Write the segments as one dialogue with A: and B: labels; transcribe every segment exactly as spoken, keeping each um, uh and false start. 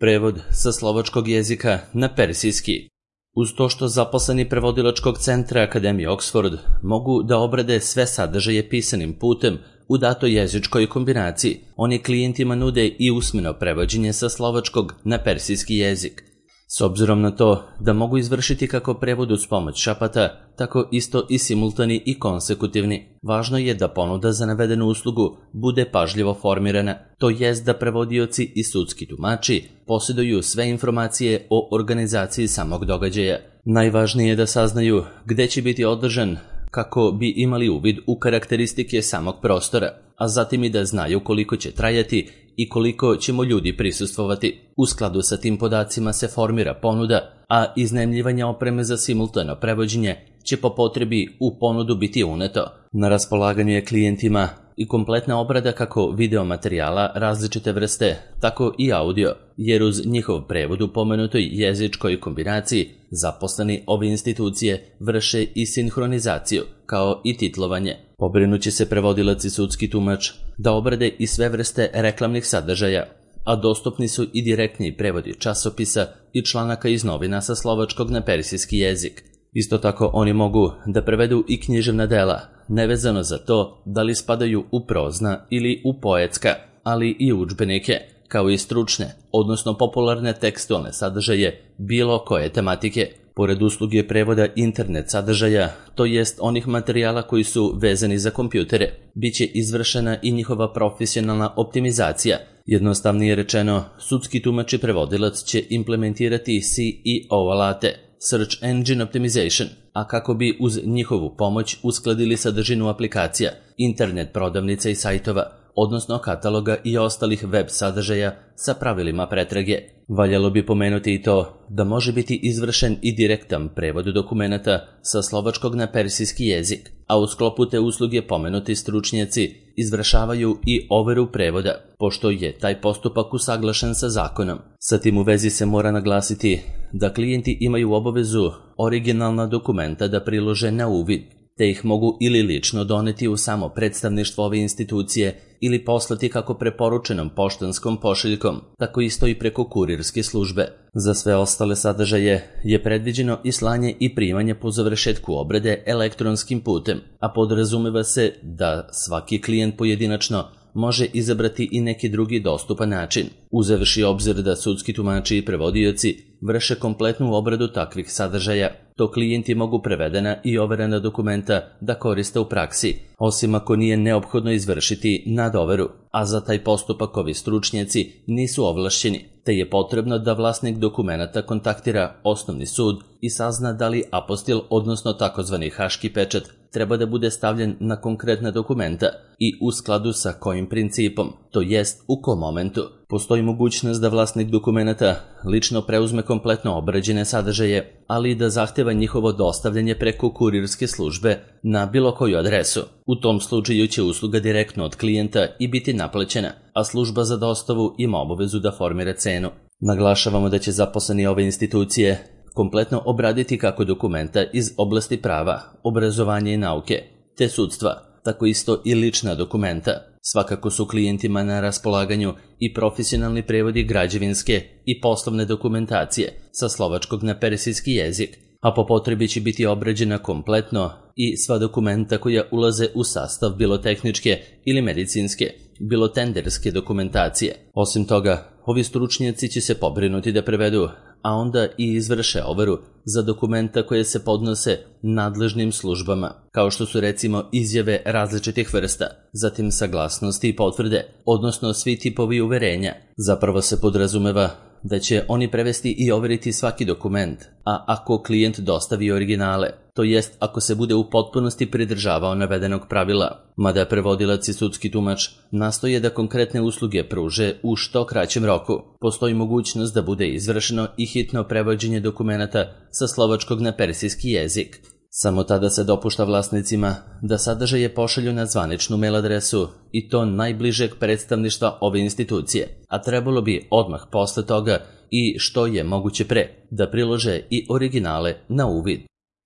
A: Prevod sa slovačkog jezika na persijski. Uz to što zaposleni prevodilačkog centra Akademije Oxford mogu da obrade sve sadržaje pisanim putem u datoj jezičkoj kombinaciji, oni klijentima nude i usmeno prevođenje sa slovačkog na persijski jezik. S obzirom na to da mogu izvršiti kako prevod uz pomoć šapata, tako isto i simultani i konsekutivni, važno je da ponuda za navedenu uslugu bude pažljivo formirana, to jest da prevodioci i sudski tumači posjeduju sve informacije o organizaciji samog događaja. Najvažnije je da saznaju gde će biti održan kako bi imali uvid u karakteristike samog prostora, a zatim i da znaju koliko će trajati i koliko ćemo ljudi prisustvovati. U skladu sa tim podacima se formira ponuda, a iznajmljivanje opreme za simultano prevođenje će po potrebi u ponudu biti uneto. Na raspolaganju je klijentima i kompletna obrada kako video materijala različite vrste, tako i audio, jer uz njihov prevod u pomenutoj jezičkoj kombinaciji zaposleni ove institucije vrše i sinhronizaciju, kao i titlovanje. Pobrinuće se prevodilac i sudski tumač da obrade i sve vrste reklamnih sadržaja, a dostupni su i direktni prevodi časopisa i članaka iz novina sa slovačkog na persijski jezik. Isto tako oni mogu da prevedu i književna dela, nevezano za to da li spadaju u prozna ili u poetska, ali i udžbenike, kao i stručne, odnosno popularne tekstualne sadržaje bilo koje tematike. Pored usluge prevoda internet sadržaja, to jest onih materijala koji su vezani za kompjutere, bit će izvršena i njihova profesionalna optimizacija. Jednostavnije rečeno, sudski tumač i prevodilac će implementirati C E O alate, Search Engine Optimization, a kako bi uz njihovu pomoć uskladili sadržinu aplikacija, internet prodavnica i sajtova, odnosno kataloga i ostalih web sadržaja sa pravilima pretrage. Valjalo bi pomenuti i to da može biti izvršen i direktan prevod dokumenata sa slovačkog na persijski jezik, a u sklopu te usluge pomenuti stručnjaci izvršavaju i overu prevoda, pošto je taj postupak usaglašen sa zakonom. Sa tim u vezi se mora naglasiti da klijenti imaju obavezu originalna dokumenta da prilože na uvid, te ih mogu ili lično doneti u samo predstavništvo ove institucije ili poslati kako preporučenom poštanskom pošiljkom, tako isto i preko kurirske službe. Za sve ostale sadržaje je predviđeno i slanje i primanje po završetku obrade elektronskim putem, a podrazumeva se da svaki klijent pojedinačno može izabrati i neki drugi dostupan način, uzevši obzir da sudski tumači i prevodioci vrše kompletnu obradu takvih sadržaja, to klijenti mogu prevedena i overena dokumenta da koriste u praksi, osim ako nije neophodno izvršiti nadoveru, a za taj postupak ovi stručnjaci nisu ovlašćeni, te je potrebno da vlasnik dokumenata kontaktira osnovni sud i sazna da li apostil, odnosno takozvani haški pečat, treba da bude stavljen na konkretna dokumenta i u skladu sa kojim principom, to jest u kom momentu. Postoji mogućnost da vlasnik dokumenata lično preuzme kompletno obrađene sadržaje, ali i da zahteva njihovo dostavljanje preko kurirske službe na bilo koju adresu. U tom slučaju će usluga direktno od klijenta i biti naplaćena, a služba za dostavu ima obavezu da formira cenu. Naglašavamo da će zaposleni ove institucije kompletno obraditi kako dokumenta iz oblasti prava, obrazovanja i nauke, te sudstva, tako isto i lična dokumenta. Svakako su klijentima na raspolaganju i profesionalni prevodi građevinske i poslovne dokumentacije sa slovačkog na persijski jezik, a po potrebi će biti obrađena kompletno i sva dokumenta koja ulaze u sastav bilo tehničke ili medicinske, bilo tenderske dokumentacije. Osim toga, ovi stručnjaci će se pobrinuti da prevedu, a onda i izvrše overu za dokumenta koje se podnose nadležnim službama, kao što su recimo izjave različitih vrsta, zatim saglasnosti i potvrde, odnosno svi tipovi uverenja. Zapravo se podrazumeva da će oni prevesti i overiti svaki dokument, a ako klijent dostavi originale, to jest ako se bude u potpunosti pridržavao navedenog pravila, mada prevodilac i sudski tumač nastoje da konkretne usluge pruže u što kraćem roku, postoji mogućnost da bude izvršeno i hitno prevođenje dokumenata sa slovačkog na persijski jezik. Samo tada se dopušta vlasnicima da sadržaje pošalju na zvaničnu mail adresu i to najbližeg predstavništva ove institucije, a trebalo bi odmah posle toga i što je moguće pre da prilože i originale na uvid.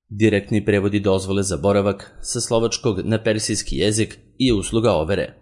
A: Direktni prevodi dozvole za boravak sa slovačkog na persijski jezik i usluga overe.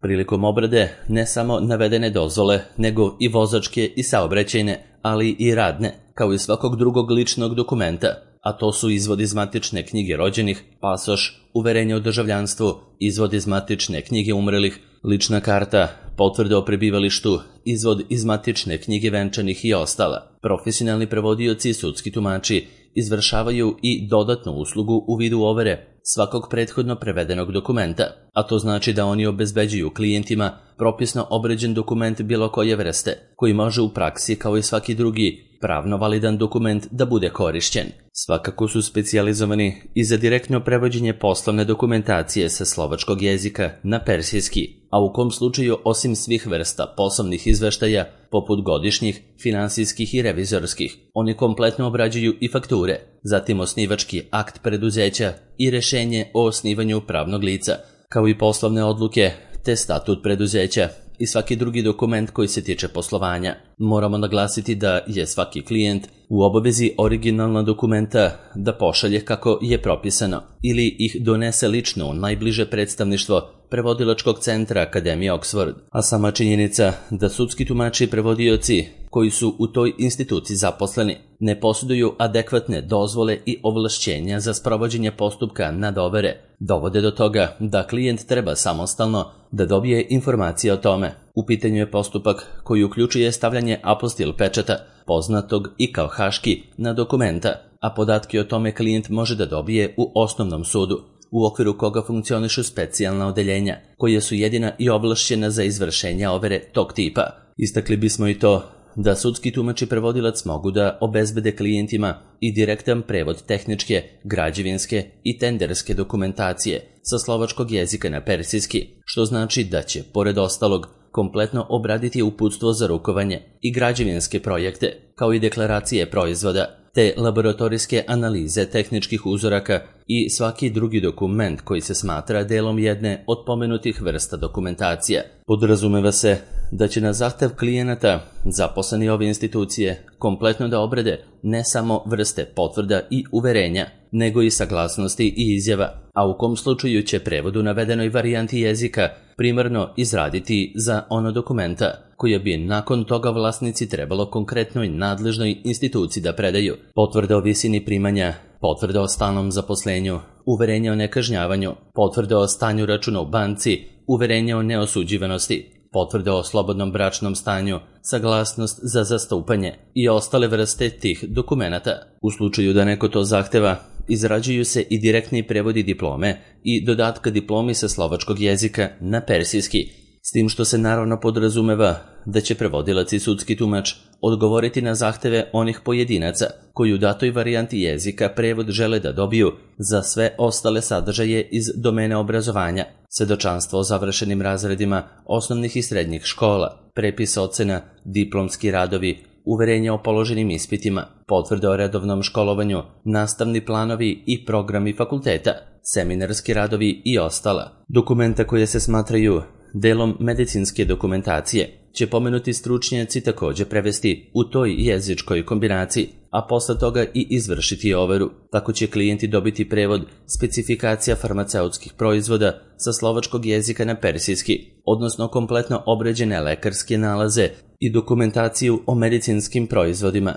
A: Prilikom obrade ne samo navedene dozvole, nego i vozačke i saobraćajne, ali i radne, kao i svakog drugog ličnog dokumenta, a to su izvod iz matične knjige rođenih, pasoš, uverenje o državljanstvu, izvod iz matične knjige umrelih, lična karta, potvrda o prebivalištu, izvod iz matične knjige venčanih i ostala. Profesionalni prevodioci i sudski tumači izvršavaju i dodatnu uslugu u vidu overe svakog prethodno prevedenog dokumenta, a to znači da oni obezbeđuju klijentima propisno obrađen dokument bilo koje vrste, koji može u praksi, kao i svaki drugi pravno validan dokument, da bude korišćen. Svakako su specijalizovani i za direktno prevođenje poslovne dokumentacije sa slovačkog jezika na persijski, a u kom slučaju osim svih vrsta poslovnih izveštaja, poput godišnjih, finansijskih i revizorskih, oni kompletno obrađuju i fakture, zatim osnivački akt preduzeća i rešenje o osnivanju pravnog lica, kao i poslovne odluke, te statut preduzeća i svaki drugi dokument koji se tiče poslovanja. Moramo naglasiti da je svaki klijent u obavezi originalna dokumenta da pošalje kako je propisano ili ih donese lično u najbliže predstavništvo prevodilačkog centra Akademije Oxford, a sama činjenica da sudski tumači i prevodioci koji su u toj instituciji zaposleni ne posjeduju adekvatne dozvole i ovlašćenja za sprovođenje postupka nadovere, dovode do toga da klijent treba samostalno da dobije informacije o tome. U pitanju je postupak koji uključuje stavljanje apostil pečata, poznatog i kao haški, na dokumenta, a podatke o tome klijent može da dobije u osnovnom sudu, u okviru koga funkcionišu specijalna odeljenja, koje su jedina i ovlašćena za izvršenje overe tog tipa. Istakli bismo i to da sudski tumač i prevodilac mogu da obezbede klijentima i direktan prevod tehničke, građevinske i tenderske dokumentacije sa slovačkog jezika na persijski, što znači da će, pored ostalog, kompletno obraditi uputstvo za rukovanje i građevinske projekte, kao i deklaracije proizvoda, te laboratorijske analize tehničkih uzoraka i svaki drugi dokument koji se smatra delom jedne od pomenutih vrsta dokumentacija. Podrazumeva se da će na zahtev klijenata zaposleni ove institucije kompletno da obrade ne samo vrste potvrda i uverenja, nego i saglasnosti i izjava, a u kom slučaju će prevod u navedenoj varijanti jezika primarno izraditi za ono dokumenta koje bi nakon toga vlasnici trebalo konkretnoj nadležnoj instituciji da predaju: potvrda o visini primanja, potvrda o stalnom zaposlenju, uverenje o nekažnjavanju, potvrda o stanju računa u banci, uverenje o neosuđivanosti, potvrda o slobodnom bračnom stanju, saglasnost za zastupanje i ostale vrste tih dokumenata. U slučaju da neko to zahteva, izrađuju se i direktni prevodi diplome i dodatka diplomi sa slovačkog jezika na persijski, s tim što se naravno podrazumeva da će prevodilac i sudski tumač odgovoriti na zahteve onih pojedinaca koji u datoj varijanti jezika prevod žele da dobiju za sve ostale sadržaje iz domene obrazovanja: svedočanstvo o završenim razredima osnovnih i srednjih škola, prepis ocena, diplomski radovi, uverenje o položenim ispitima, potvrde o redovnom školovanju, nastavni planovi i programi fakulteta, seminarski radovi i ostala. Dokumenta koje se smatraju delom medicinske dokumentacije će pomenuti stručnjaci također prevesti u toj jezičkoj kombinaciji, a posle toga i izvršiti overu. Tako će klijenti dobiti prevod specifikacija farmaceutskih proizvoda sa slovačkog jezika na persijski, odnosno kompletno obrađene lekarske nalaze i dokumentaciju o medicinskim proizvodima,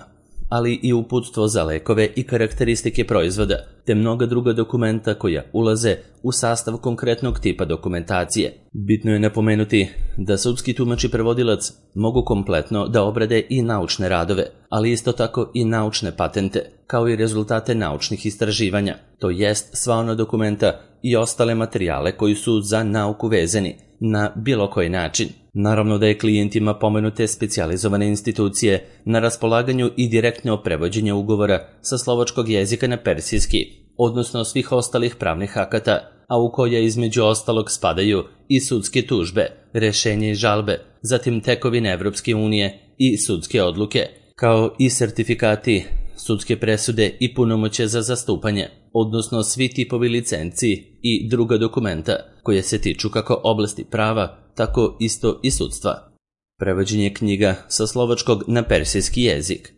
A: ali i uputstvo za lekove i karakteristike proizvoda, te mnoga druga dokumenta koja ulaze u sastav konkretnog tipa dokumentacije. Bitno je napomenuti da sudski tumač i prevodilac mogu kompletno da obrade i naučne radove, ali isto tako i naučne patente, kao i rezultate naučnih istraživanja, to jest sva ona dokumenta i ostale materijale koji su za nauku vezani na bilo koji način. Naravno da je klijentima pomenute specijalizovane institucije na raspolaganju i direktno prevođenje ugovora sa slovačkog jezika na persijski, odnosno svih ostalih pravnih akata, a u koje između ostalog spadaju i sudske tužbe, rešenje i žalbe, zatim tekovine Evropske unije i sudske odluke, kao i sertifikati, sudske presude i punomoćje za zastupanje, odnosno svi tipovi licenci i druga dokumenta koje se tiču kako oblasti prava, tako isto i sudstva. Prevođenje knjiga sa slovačkog na persijski jezik.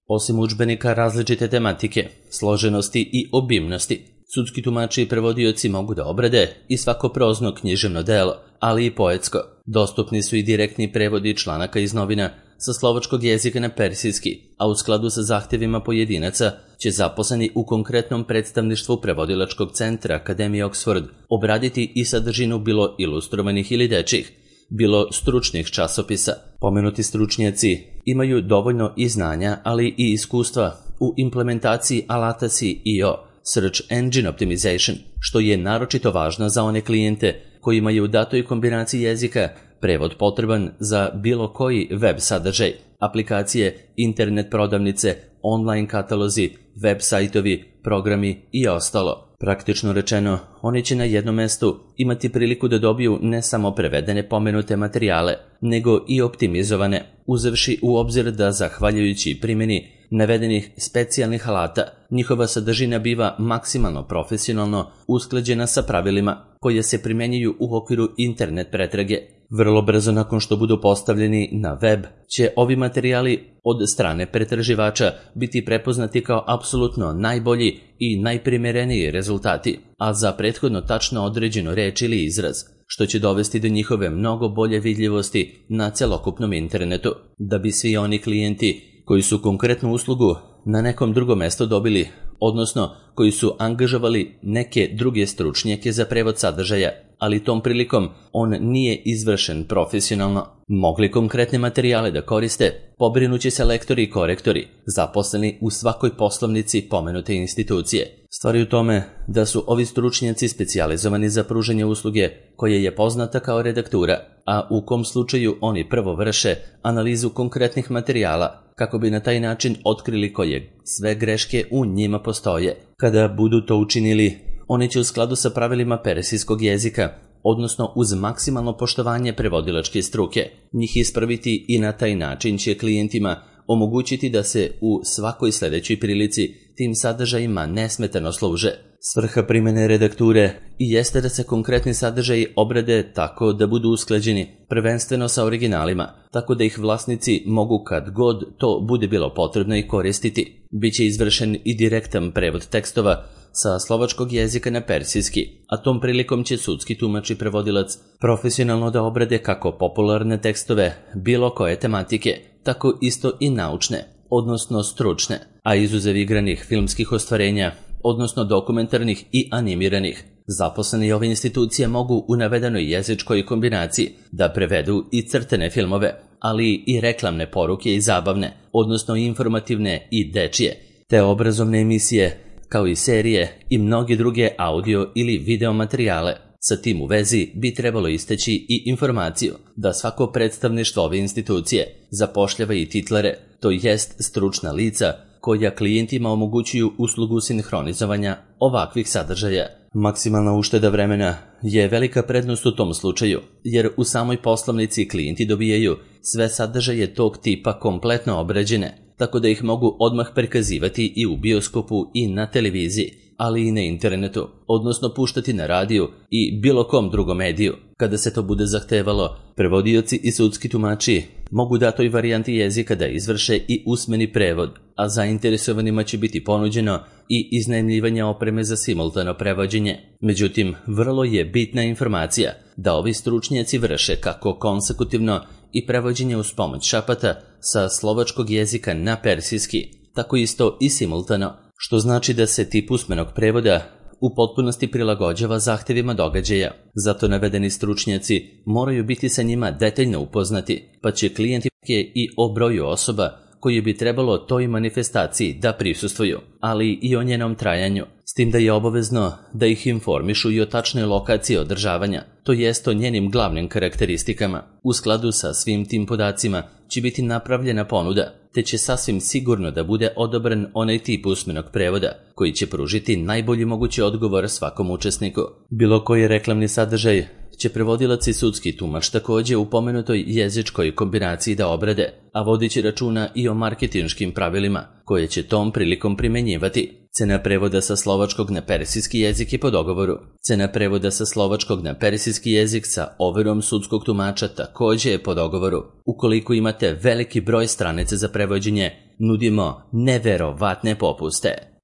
A: Osim udžbenika različite tematike, složenosti i obimnosti, Sudski tumači i prevodioci mogu da obrade i svako prozno književno delo, ali i poetsko. Dostupni su i direktni prevodi članaka iz novina sa slovačkog jezika na persijski, a u skladu sa zahtjevima pojedinaca će zaposleni u konkretnom predstavništvu prevodilačkog centra Akademije Oxford obraditi i sadržinu bilo ilustrovanih ili dečjih, bilo stručnih časopisa. Pomenuti stručnjaci imaju dovoljno i znanja, ali i iskustva u implementaciji alata S E O, Search Engine Optimization, što je naročito važno za one klijente koji imaju u datoj kombinaciji jezika prevod potreban za bilo koji web sadržaj, aplikacije, internet prodavnice, online katalozi, web sajtovi, programi i ostalo. Praktično rečeno, oni će na jednom mestu imati priliku da dobiju ne samo prevedene pomenute materijale, nego i optimizovane, uzevši u obzir da zahvaljujući primjeni navedenih specijalnih alata, njihova sadržina biva maksimalno profesionalno usklađena sa pravilima koje se primjenjuju u okviru internet pretrage. Vrlo brzo nakon što budu postavljeni na web, će ovi materijali od strane pretraživača biti prepoznati kao apsolutno najbolji i najprimjereniji rezultati, a za prethodno tačno određenu reč ili izraz, što će dovesti do njihove mnogo bolje vidljivosti na celokupnom internetu, da bi svi oni klijenti koji su konkretnu uslugu na nekom drugom mjestu dobili, odnosno koji su angažovali neke druge stručnjake za prevod sadržaja, ali tom prilikom on nije izvršen profesionalno, mogli konkretne materijale da koriste, pobrinući se lektori i korektori, zaposleni u svakoj poslovnici pomenute institucije. Stvar je u tome da su ovi stručnjaci specijalizovani za pružanje usluge koje je poznata kao redaktura, a u kom slučaju oni prvo vrše analizu konkretnih materijala, kako bi na taj način otkrili koje sve greške u njima postoje. Kada budu to učinili, oni će u skladu sa pravilima persijskog jezika, odnosno uz maksimalno poštovanje prevodilačke struke, njih ispraviti i na taj način će klijentima omogućiti da se u svakoj sljedećoj prilici tim sadržajima nesmetano služe. Svrha primjene redakture i jeste da se konkretni sadržaji obrade tako da budu usklađeni, prvenstveno sa originalima, tako da ih vlasnici mogu kad god to bude bilo potrebno i koristiti. Biće izvršen i direktan prevod tekstova sa slovačkog jezika na persijski, a tom prilikom će sudski tumač i prevodilac profesionalno da obrade kako popularne tekstove bilo koje tematike, tako isto i naučne, odnosno stručne, a izuzev igranih filmskih ostvarenja, odnosno dokumentarnih i animiranih. Zaposleni ove institucije mogu u navedenoj jezičkoj kombinaciji da prevedu i crtene filmove, ali i reklamne poruke i zabavne, odnosno informativne i dečije, te obrazovne emisije, kao i serije i mnoge druge audio ili video materijale. Sa tim u vezi bi trebalo istaći i informaciju da svako predstavništvo ove institucije zapošljava i titlere, to jest stručna lica koja klijentima omogućuju uslugu sinhronizovanja ovakvih sadržaja. Maksimalna ušteda vremena je velika prednost u tom slučaju, jer u samoj poslovnici klijenti dobijaju sve sadržaje tog tipa kompletno obrađene, tako da ih mogu odmah prikazivati i u bioskopu i na televiziji, ali i na internetu, odnosno puštati na radiju i bilo kom drugom mediju. Kada se to bude zahtevalo, prevodioci i sudski tumači mogu datoj varijanti jezika da izvrše i usmeni prevod, a zainteresovanima će biti ponuđeno i iznajmljivanje opreme za simultano prevođenje. Međutim, vrlo je bitna informacija da ovi stručnjaci vrše kako konsekutivno i prevođenje uz pomoć šapata sa slovačkog jezika na persijski, tako isto i simultano, što znači da se tip usmenog prevoda u potpunosti prilagođava zahtjevima događaja. Zato navedeni stručnjaci moraju biti sa njima detaljno upoznati, pa će klijenti i o broju osoba koji bi trebalo toj manifestaciji da prisustvuju, ali i o njenom trajanju, s tim da je obavezno da ih informišu i o tačnoj lokaciji održavanja, to jest o njenim glavnim karakteristikama. U skladu sa svim tim podacima će biti napravljena ponuda, te će sasvim sigurno da bude odobren onaj tip usmenog prevoda, koji će pružiti najbolji mogući odgovor svakom učesniku. Bilo koji reklamni sadržaj će prevodilac i sudski tumač također u pomenutoj jezičkoj kombinaciji da obrade, a vodići računa i o marketinškim pravilima, koje će tom prilikom primjenjivati. Cena prevoda sa slovačkog na persijski jezik je po dogovoru. Cena prevoda sa slovačkog na persijski jezik sa overom sudskog tumača također je po dogovoru. Ukoliko imate veliki broj stranica za prevođenje, nudimo neverovatne popuste.